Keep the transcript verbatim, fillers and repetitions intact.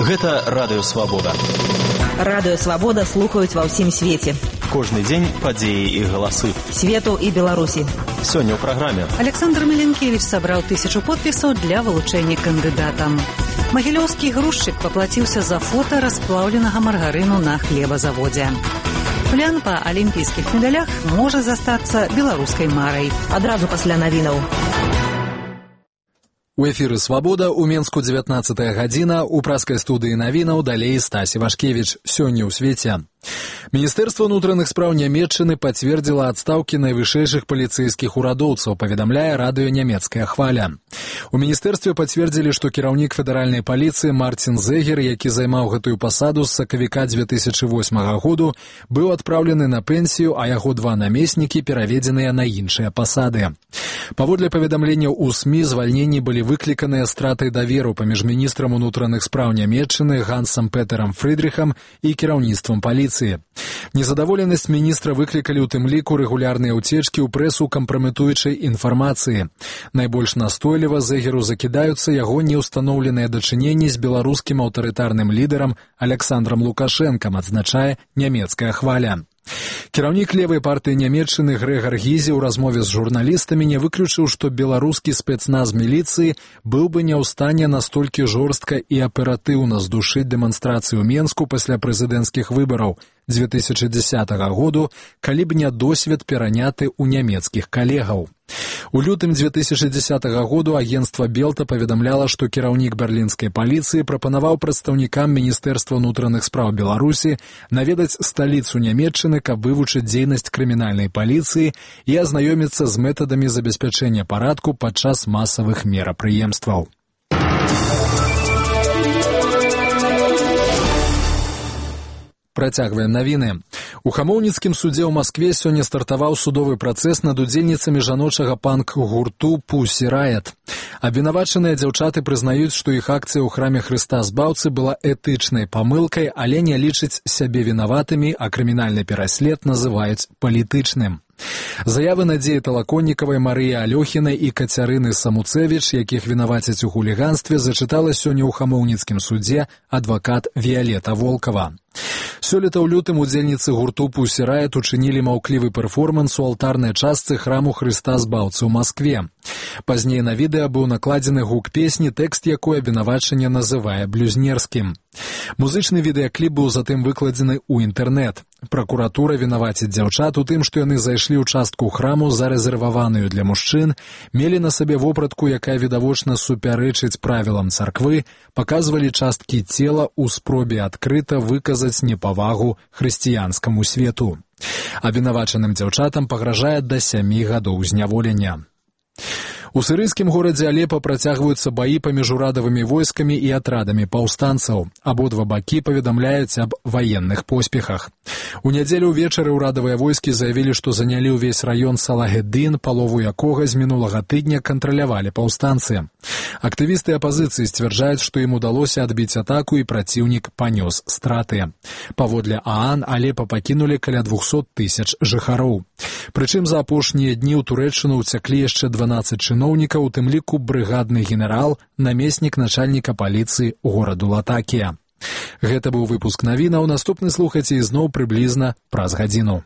Гэта Радыё Свабода. Радыё Свабода слухаюць ва ўсім свеце. Кожны дзень падзеі і галасы. Свету і Беларусі. Сёння ў праграме. Александр Меленкевич сабраў тысячу подпісаў для вылучэння кандыдатам. Магілёўскі грузчык паплаціўся за фота расплаўленага маргарыну на хлебазаводзе. Плян па алімпійскіх медалях можа застацца беларускай марай. Адразу пасля навінаў. У эфіры «Свабода» у Менску дзевятнаццатая гадзіна, у праскай студыі навінаў далей Стась Івашкевіч. Сёння ў свеце. Міністэрства ўнутраных спраў Нямецчыны пацвердзіла адстаўкі найвышэйшых паліцэйскіх урадоўцаў, паведамляе радыё «Нямецкая хваля». У міністэрстве пацвердзілі, што кіраўнік федэральнай паліцыі Мартин Зегер, які займаў гэтую пасаду з сакавіка дзве тысячы восьмага году, быў адпраўлены на пенсію, а яго два намеснікі пераведзеныя на іншыя пасады. Паводле паведамленняў у СМІ, звальненні былі выкліканыя стратай даверу паміж міністрам унутраных спраў Нямецчыны Гансам Петерам Фрыдрыхам і кіраўніцтвам паліцыі. Незадаволенасць міністра выклікалі ў тым ліку рэгулярныя ўцечкі ў прэсу кампраметуючай інфармацыі. Найбольш настойліва Зегеру закідаюцца яго неўстаноўленыя дачыненні з беларускім аўтарытарным лідарам Аляксандрам Лукашэнкам, адзначае нямецкая хваля. Кіраўнік левай партыі Нямецчыны Грэгар Гізе ў размове з журналістамі не выключыў, што беларускі спецназ міліцыі быў бы не ў стане настолькі жорстка і аператыўна здушыць дэманстрацыю ў Менску пасля прэзідэнцкіх выбараў дзве тысячы дзесятага году, калі б не досвед пераняты ў нямецкіх калегаў. У лютым дзве тысячы дзесятага году агенцтва Белта паведамляла, што кіраўнік берлінскай паліцыі прапанаваў прадстаўнікам Міністэрства ўнутраных спраў Беларусі наведаць сталіцу Нямецчыны, каб вывучыць дзейнасць крымінальнай паліцыі і азнаёміцца з метадамі забеспячэння парадку падчас масавых мерапрыемстваў. Працягваем навіны. У хамоўніцкім судзе ў Маскве сёння стартаваў судовы працэс над удзельніцамі жаночага панк-гурту «Пусі Райат». Абвінавачаныя дзяўчаты прызнаюць, што іх акцыя ў храме Хрыста Збаўцы была этычнай памылкай, але не лічаць сябе вінаватымі, а крымінальны пераслед называюць палітычным. Заявы Надзеі Талаконнікавай, Марыі Алёхінай і Кацярыны Самуцэвіч, якіх вінавацяць у хуліганстве, зачытала сёння ў хамоўніцкім судзе адвакат Віялета Волкава. Сёлета ў лютым удзельніцы гурту «Пусі Райат» учынілі маўклівы перформанс у алтарнай частцы храму Хрыста Збаўцы ў Маскве. Пазней на відэа быў накладзены гук песні, тэкст якой абвінавачанне называе блюзнерскім. Музычны відэакліп быў затым выкладзены ў інтэрнэт. Пракуратура вінаваціць дзяўчат у тым, што яны зайшлі ў частку храму, зарэзерваваную для мужчын, мелі на сабе вопратку, якая відавочна супярэчыць правілам царквы, паказвалі часткі цела ў спробе адкрыта выказаць непавагу хрысціянскаму свету. Абвінавачаным дзяўчатам пагражае да сямі гадоў зняволення. У сірыйскім горадзе Алепа працягваюцца баі паміж урадавымі войскамі і атрадамі паўстанцаў. Абодва бакі паведамляюць аб ваенных поспехах. У нядзелю ўвечары ўрадавыя войскі заявілі, што занялі ўвесь раён Салагеддын, палову якога з мінулага тыдня кантралявалі паўстанцы. Актывісты апазіцыі сцвярджаюць, што ім удалося адбіць атаку і праціўнік панёс страты. Паводле ААН Алепа пакінулі каля двухсот тысяч жыхароў. Прычым за апошнія дні ў Турэччыну ўцяклі яшчэ дванаццаць чыноўнікаў, у тым ліку брыгадны генерал, намеснік начальніка паліцыі гораду Латакія. Гэта быў выпуск навінаў. Наступны слухайце ізноў прыблізна праз гадзіну.